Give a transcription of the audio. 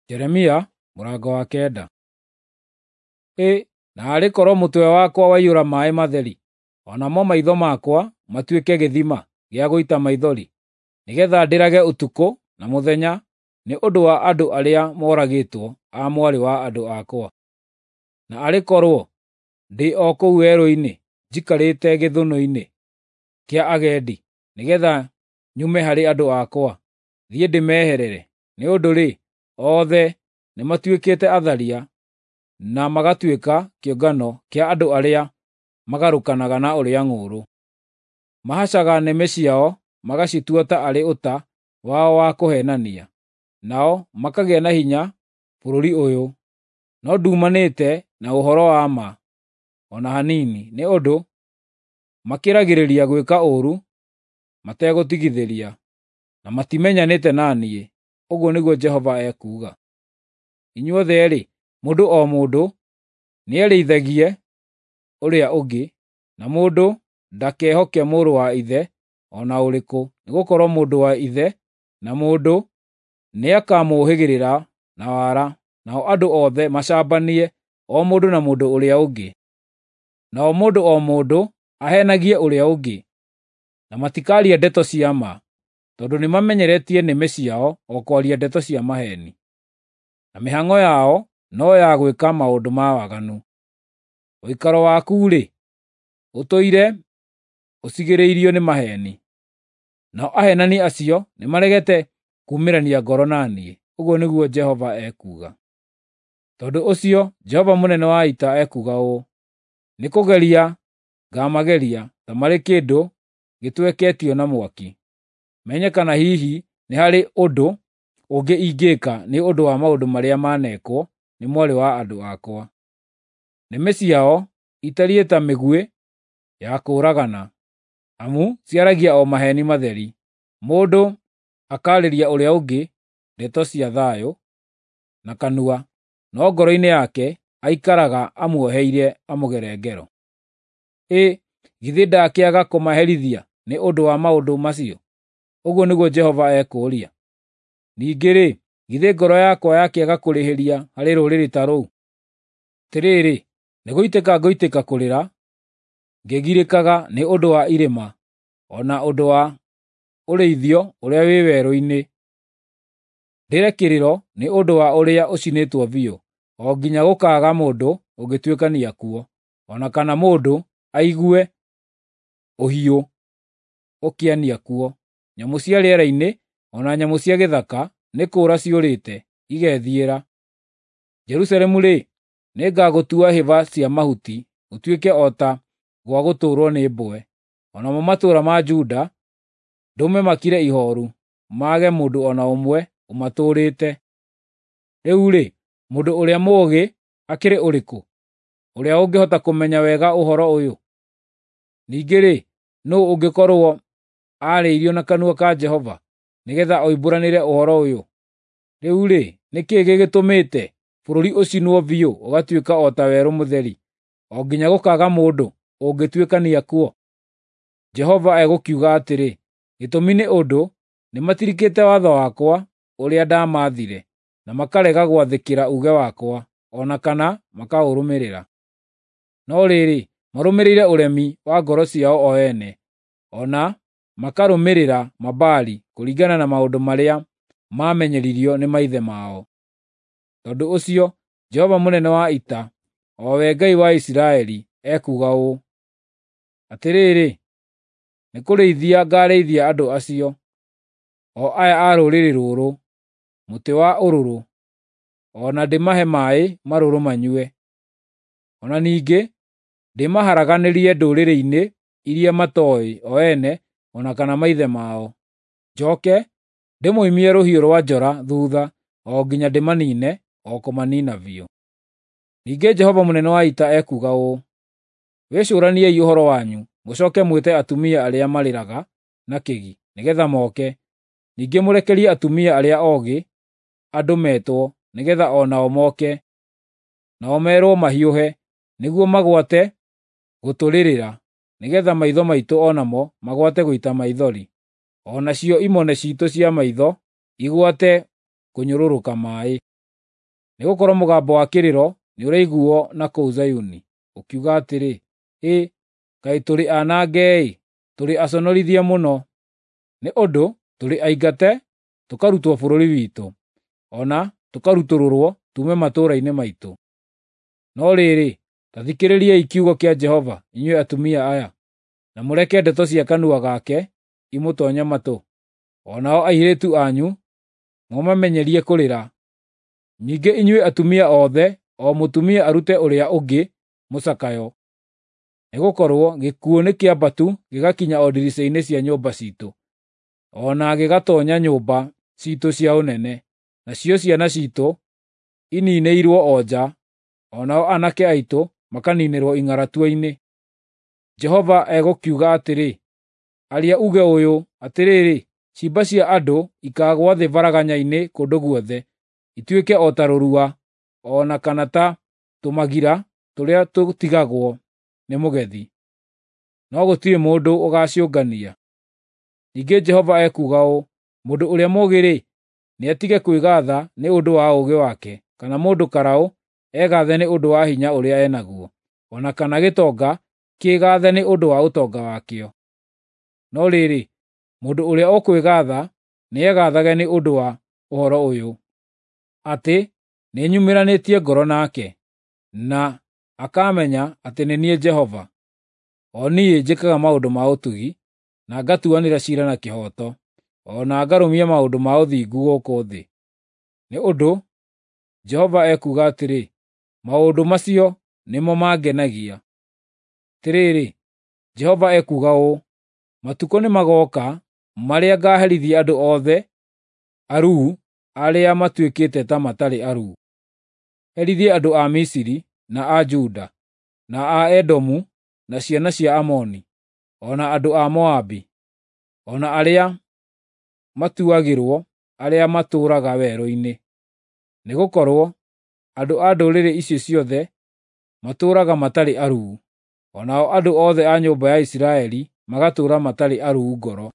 Jeremia mũrango wa 9. Ĩ, naarĩ korwo mũtwe wakwa waiyũra maaĩ matheri, o namo maitho makwa matuĩke gĩthima gĩa gũita maithori, nĩgeetha ndĩrage ũtukũ na mũthenya nĩ ũndũ wa andũ arĩa moragĩtwo a mwarĩ wa andũ akwa. Na arĩ korwo ndĩ o kũu werũ-inĩ njikarĩte gĩthũnũ-inĩ kĩa agendi, nĩgeetha nyume harĩ andũ akwa, thiĩ ndĩmeherere. Nĩ ũndũ-rĩ, othe nĩmatuĩkĩte atharia na magatuĩka kĩũngano kĩa andũ arĩa magarũrũkanaga na ũrĩa ng'ũũrũ. Mahacaga nĩmĩ ciao magacitua ta arĩ ũta wao wa kũheenania, nao makagĩa na hinya bũrũri ũyũ. No nduumanĩte na ũhoro wa ma o na hanini, nĩ ũndũ makĩragĩrĩria gwĩka ũũru mategũtigithĩria, na matimenyanĩte na niĩ, ũguo nĩguo Jehova ekuuga. Inyuothe-rĩ, mũndũ o mũndũ nĩerĩithagie ũrĩa ũngĩ, na mũndũ ndakehoke mũrũ wa ithe o na ũrĩkũ, nĩgũkorwo mũndũ wa ithe na mũndũ nĩakamũũhĩgĩrĩra na wara, nao andũ othe macambanie, o mũndũ na mũndũ ũrĩa ũngĩ. Nao mũndũ o mũndũ aheenagie ũrĩa ũngĩ, na matikaaria ndeto cia ma, tondũ nĩmamenyeretie nĩmĩ ciao o kwaria ndeto cia maheeni, na mĩhang'o yao no ya gwĩka maũndũ ma waganu. Ũikaro waku-rĩ, ũtũire ũcigĩrĩirio nĩ maheeni, nao aheenani acio nĩmaregete kuumĩrania ngoro na niĩ, ũguo nĩguo Jehova ekuuga. Tondũ ũcio Jehova mũnene wa ita ekuuga ũũ: Nĩkũgeria ngaamageria ta marĩ kĩndũ gĩtweketio na mwaki, menye kana hihi nĩ harĩ ũndũ ũngĩ ingĩĩka nĩ ũndũ wa maũndũ marĩa maanekwo nĩ mwarĩ wa andũ akwa. Nĩmĩ ciao itariĩ ta mĩguĩ ya kũũragana, amu ciaragia o maheeni matheri. Mũndũ akaarĩria ũrĩa ũngĩ ndeto cia thayũ na kanua, no ngoro-inĩ yake aikaraga amuoheirie amũgere ngero. Ĩ, githĩ ndakĩaga kũmaherithia nĩ ũndũ wa maũndũ macio? Ũguo nĩguo Jehova ekũũria. Ningĩ-rĩ, githĩ ngoro yakwa yakĩaga kũrĩhĩria harĩ rũrĩrĩ ta rũu? Atĩrĩrĩ, nĩgũitĩka ngũitĩka kũrĩra, ngĩgirĩkaga nĩ ũndũ wa irĩma, o na ũndũ wa ũrĩithio ũrĩa wĩ werũ-inĩ. Ndĩre kĩrĩro nĩ ũndũ wa ũrĩa ũcinĩtwo biũ, o nginya gũkaaga mũndũ ũngĩtuĩkania kuo, o na kana mũndũ aigue ũhiũ ũkĩania kuo. Nyamũ cia rĩera-inĩ o na nyamũ cia gĩthaka nĩ kũũra ciũrĩte, igethiĩra. Jerusalemu-rĩ, nĩngagũtua hĩba cia mahuti ũtuĩke o ta gwa gũtũũrwo nĩ mbwe. O namo matũũra ma Juda ndũme makire ihooru, mage mũndũ o na ũmwe ũmatũũrĩte. Rĩu-rĩ, mũndũ ũrĩa mũũgĩ akĩrĩ ũrĩkũ, ũrĩa ũngĩhota kũmenya wega ũhoro ũyũ? Ningĩ-rĩ, nũũ ũngĩkorwo aarĩirio na kanua ka Jehova, nĩgeetha oimbũranĩre ũhoro ũyũ? Rĩu-rĩ, nĩ kĩĩ gĩgĩtũmĩte bũrũri ũcinwo biũ ũgatuĩka o ta werũ mũtheri, o nginya gũkaaga mũndũ ũngĩtuĩkania kuo? Jehova egũkiuga atĩrĩ, gĩtũmi nĩ ũndũ nĩmatirikĩte watho wakwa ũrĩa ndamaathire, na makarega gwathĩkĩra uuge wakwa, o na kana makaũrũmĩrĩra. No rĩrĩ, marũmĩrĩire ũremi wa ngoro ciao o ene, o na makarũmĩrĩra Mabaali kũringana na maũndũ marĩa maamenyeririo nĩ maithe mao. Tondũ ũcio Jehova mũnene wa ita, o we Ngai wa Isiraeli, ekuuga ũũ: Atĩrĩrĩ, nĩkũrĩithia ngaarĩithia andũ acio, o aya a rũrĩrĩ rũrũ, mũtĩ wa ũrũrũ, o na ndĩmahe maaĩ marũrũ manyue. O na ningĩ ndĩmaharaganĩrie ndũrĩrĩ-inĩ iria matooĩ o ene o na kana maithe mao. Njooke ndĩmoimie rũhiũ rwa njora thuutha o nginya ndĩmaniine o kũmaniina biũ. Ningĩ Jehova mũnene wa ita ekuuga ũũ: Wĩcũraniei ũhoro wanyu, mũcooke mwĩte atumia arĩa marĩraga na kĩgi, nĩgeetha moke. Ningĩ mũrekerie atumia arĩa oogĩ andũ metwo, nĩgeetha o nao moke. Nao meerwo mahiũhe, nĩguo magwate gũtũrĩrĩra, nĩgeetha maitho maitũ o namo magwate gũita maithori, o nacio imone ciitũ cia maitho igwate kũnyũrũrũka maaĩ. Nĩgũkorwo mũgambo wa kĩrĩro nĩũraiguuo na kũu Zayuni, ũkiuga atĩrĩ, ‘Hĩ, kaĩ tũrĩ anange-ĩ! Tũrĩ aconorithie mũno! Nĩ ũndũ tũrĩ aingate tũkarutwo bũrũri witũ, o na tũkarutũrũrwo tuume matũũra-inĩ maitũ.’ No rĩrĩ, ta thikĩrĩriai kiugo kĩa Jehova, inyuĩ atumia aya, na mũreke ndeto cia kanua gake imũtoonye matũ. O nao airĩtu anyu mũmamenyerie kũrĩra. Ningĩ inyuĩ atumia othe, o mũtumia arute ũrĩa ũngĩ mũcakayo. Nĩgũkorwo gĩkuũ nĩ kĩambatu gĩgakinya o ndirica-inĩ cia nyũmba ciitũ, o na gĩgatoonya nyũmba ciitũ cia ũnene, nacio ciana ciitũ iniinĩirwo o nja, o nao aanake aitũ makaniinĩrwo ing'aratua-inĩ. Jehova egũkiuga atĩrĩ, “Aria uuge ũyũ, atĩrĩrĩ, ciimba cia andũ ikaagũa thĩ baraganya-inĩ kũndũ guothe, ituĩke o ta rũrua, o na kana ta tũmagira tũrĩa tũtigagwo nĩ mũgethi, no gũtirĩ mũndũ ũgaaciũngania.” Ningĩ Jehova ekuuga ũũ, “Mũndũ ũrĩa mũũgĩ-rĩ, nĩatige kwĩgaatha nĩ ũndũ wa ũũgĩ wake, kana mũndũ karaũ egaathe nĩ ũndũ wa hinya ũrĩa e naguo, o na kana gĩtonga kĩĩgathe nĩ ũndũ wa ũtonga wakĩo. No rĩrĩ, mũndũ ũrĩa ũkwĩgaatha nĩegathage nĩ ũndũ wa ũhoro ũyũ, atĩ nĩnyumĩranĩtie ngoro nake, na akamenya atĩ nĩ niĩ Jehova, o niĩ njĩkaga maũndũ ma ũtugi, na ngatuanĩra ciira na kĩhooto, o na ngarũmia maũndũ ma ũthingu gũkũ thĩ. Nĩ ũndũ Jehova ekuuga atĩrĩ, maũndũ macio nĩmo mangenagia. Atĩrĩrĩ, Jehova ekuuga ũũ, matukũ nĩmagooka marĩa ngaaherithia andũ othe aruu arĩa matuĩkĩte ta matarĩ aruu. Herithie andũ a Misiri, na a Juda, na a Edomu, na ciana cia Amoni, o na andũ a Moabi, o na arĩa matuagĩrwo arĩa matũũraga werũ-inĩ. Nĩgũkorwo andũ a ndũrĩrĩ icio ciothe matũũraga matarĩ aruu, o nao andũ othe a nyũmba ya Isiraeli magatũũra matarĩ aruu ngoro.